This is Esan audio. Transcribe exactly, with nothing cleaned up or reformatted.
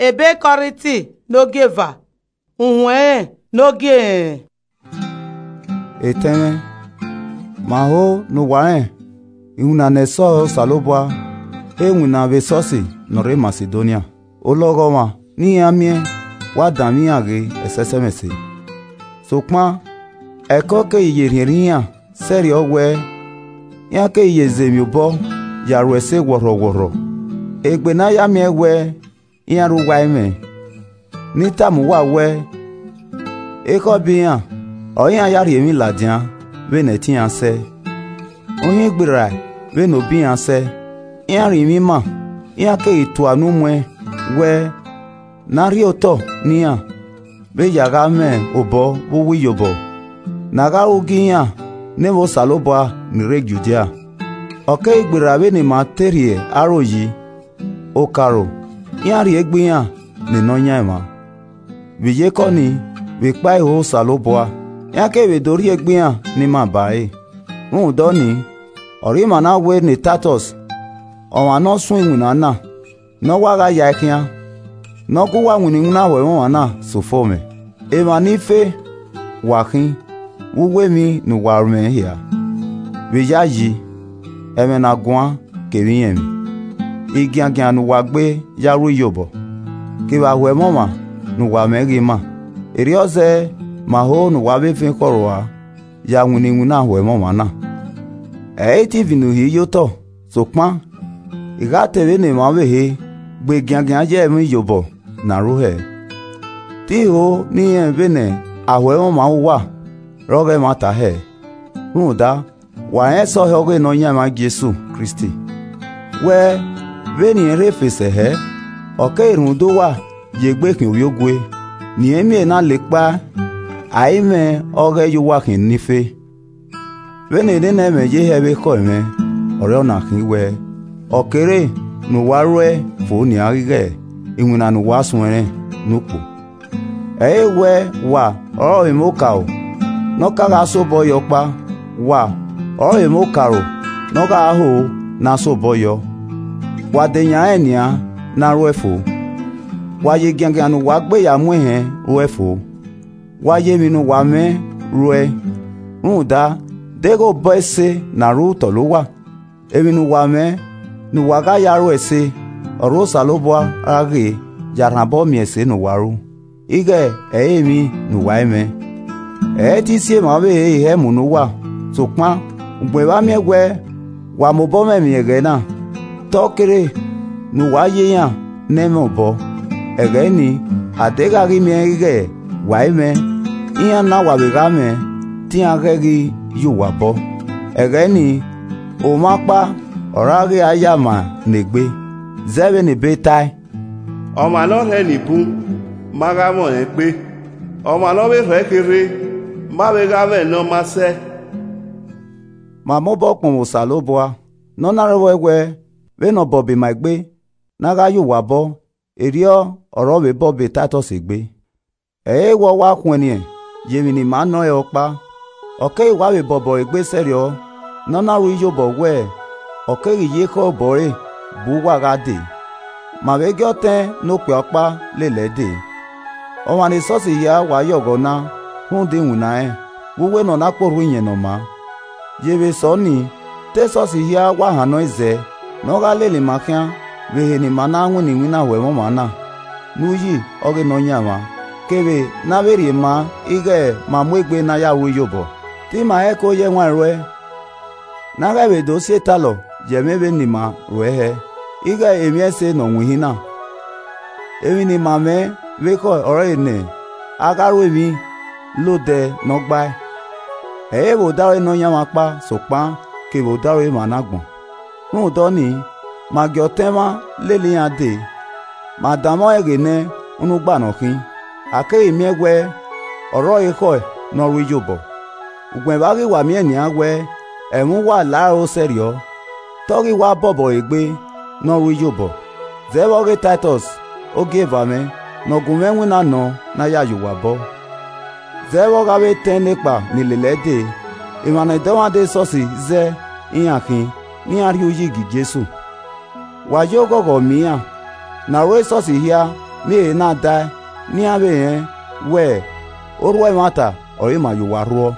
Ebe Kọrinti nogieva, uhunmwu ẹnrẹn nogie. Etẹn mwẹ, ma ho ne uwa rẹn iwinna ne ẹsọhẹ Osanobua he winna vbe esọsi ne ọ rre Masidonia. Olọghọmwa ne iran miẹn wa danmwẹ iran ghe ẹsẹsẹmwẹse. Sokpan, ẹko keghi ye rhiẹnrhiẹn iran sẹrriọ wẹẹ, iran keghi ye zẹ emwi obọ ya ru ẹse wọrhọwọrhọ. Egbe ne a ya miẹn wẹẹ, iran rre uwa ẹmwẹ, ne I tama uwa wẹẹ, ekhọe bọ iran ọre iran ya rhie emwi ladian vbene ẹtin iran sẹe. Uhin gberra vbene obọ iran sẹe, iran rinmwian ima, iran keghi tua unu muẹn wẹẹ, ne a rhie otọ ne iran vbe ya gha mwẹ obọ vbe uwu iyobọ, ne a gha ru gie iran ne emwa Osanobua ni rre Judia. Ọ keghi gberra vbene ima te rhie aro yi, okaro, iran rhie egbe iran ne Nọyaẹnmwa. Vbe iyeke ọnii, vbe ekpa iho Osanobua, iran keghi vbe do rhie egbe iran ne ima ba ẹre. Rhunmwuda ọnii, ọre ima na wẹẹ ne Taitọs, ọmwa ne ọ suẹn iwinna na, ne ọ wa gha yae khian, ne ọ gu uwa winna iwinna ho ẹmwẹ ọmwa na sẹ ofo mwẹ. Emwa ni fe, wa khin vbe uwu emwi ne uwa mwẹ hia, vbe iyayi, ẹmwẹ ne a guan kevbe irẹnmwi, igiangian ne uwa gbe ya ru iyobọ, kevbe aho ẹmwẹ ọmwa ne uwa mwẹ ghi ma. Erriọ zẹẹ, ma ho ne uwa vbe ven khọrua ya winna iwinna ho ẹmwẹ ọmwa na. Ẹ i te ivinu hi ye otọ, sokpan, I gha ta vbene emwa ọvbehe, gbe giangian ye ẹmwẹ iyobọ ne a ru hẹ. Te I ho ne I rẹn vbene aho ẹmwẹ ọmwa uwa rre ọghe ẹmwata hẹ. Rhunmwuda, wa rẹn ẹsọhẹ ọghe Nọyaẹnmwa Jesu Kristi, wẹẹ, vbene irẹn rre fe sẹ hẹ, ọ keghi rhunmwuda uwa ye egbe khian ovbiogue, ne irẹn miẹn na la ekpa, a i mwẹ ọghẹ ye uwa khian ni fe. Vbene nene ẹmwẹ ye hẹ vbe ekhọe mwẹ, ọre ọna khin wẹẹ, ọ kere ne uwa ruẹ fo nian ighẹ iwinna ne uwa suẹnrẹn ne ukpo. Ẹ i re wẹẹ wa ọrọre emwa okaro ne ọ ka gha sẹ obọ yọ ọkpa, wa ọrọre emwa okaro ne ọ gha ho ne a sẹ obọ yọ, wa de yan rẹn nian ne a ruẹ fo, wa ye giangian ne uwa gbe ya mu ehẹn ruẹ fo, wa ye emwi ne uwa mwẹ ruẹe. Rhunmwuda, deghẹ obọ ẹse ne a ru tọlọ uwa, emwi ne uwa mwẹ ne uwa gha ya ru ẹse, ọre Osanobua ra ghe ya rhan obọ miẹn ẹse ne uwa ru, ighẹ ẹ i re emwi ne uwa i mwẹ. Ẹ i te I si emwa ọvbehe hẹ mu ne uwa, sokpan ugbẹn vbe a miẹn wẹẹ, wa mobọ mwẹ emwi ẹghẹ na, te ọ kere ne uwa ye iran ne ẹ i mwẹ obọ. Ẹghẹ nii, a deghẹ a ghi miẹn ighẹ wa i mwẹ, iran na wa vbe gha mwẹ, te iran ghẹ ghi ye uwa obọ. Ẹghẹ nii, omwa ọkpa ọre a ghi ya ma ne egbe, zẹ vbene ebe tae, Ọmwa ne ọ rhẹn eni bun, ma gha mwẹ ọnrẹn egbe, ọmwa ne ọ vbe rhọ ẹre kherhe, ma vbe gha mwẹ ne ọ ma sẹ. Ma mobọ kpọnmwẹ Osanobua, ne ọ na rhọvbọe wẹẹ, vbene obọ be ma egbe, ne a gha ye uwa obọ, erriọ ọre ọ vbe bọ be Taitọs egbe. Ẹ i re wẹẹ ọ wa khuẹnniẹn ye emwi ne ima nọ ẹre ọkpa, ọ keghi wa vbe bọbọ egbe sẹrriọ, ne ọ na ru iyobọ wẹẹ, ọ keghi ye ekhọe obọ ẹre bu uwa gha dee. Ma vbe gie ọtẹn ne okpia ọkpa lele ẹe dee. Ọmwa ne esọsi hia wa yọghọ na rhunmwuda iwinna rẹn, vbe uwu ne ọ na kpe orhu iyẹn ne ọ maa. Ye vbe sẹ ọnii, te esọsi hia wa hannọ ẹzẹe ne ọ gha lele ima khian vbe ehe ne ima na winna iwinna ho ẹmwẹ ọmwa na, ne uyi ọghe Nọyaẹnmwa, kevbe ne a vbe rhie maa ighẹ ma mu egbe ne a ya ru iyobọ. Te ima hẹ ẹko ye ẹwaẹn ruẹ, ne a ghẹ vbe do si etalọ ye ẹmwẹ vbene ima ruẹ hẹ, ighẹ emwi ẹse ne ọ winhin na. Emwi ne ima mwẹ vbe ekhọe ọrọre ne a gha ru emwi la odẹ ne ọ gbae, ẹ i re vbe odaro Nọyaẹnmwa ọkpa sokpan kevbe odaro emwa ne agbọn. Rhunmwuda ọnii, ma gie ọtẹn mwa lele iran dee, ma danmwẹ ọnrẹn ghe nẹ unu gba nọ khin, a keghi miẹn wẹẹ ọre ọre ekhọe ne ọ ru iyobọ. Ugbẹn vbe a ghi wa miẹn nian wẹẹ ẹmwẹ uwa la aro sẹrriọ, te ọ ghi wa bọbọ egbe ne ọ ru iyobọ. Zẹ vbe ọghe Taitọs, ogieva mwẹ, ne ọ gu mwẹ iwinna nọ ne a ya ye uwa obọ. Zẹ vbe ọ gha vbe etẹn nekpa ni lele ẹe dee, emwa ne dọmwadẹ esọsi zẹ iran khin ne iran rhie uyi gie Jesu. Wa ye oghọghọ miẹn iran, ne aro esọsi hia ne ehe na dae ne iran vbe rẹn wẹẹ, orhu ẹmwata ọre ma ye owa rhuọ.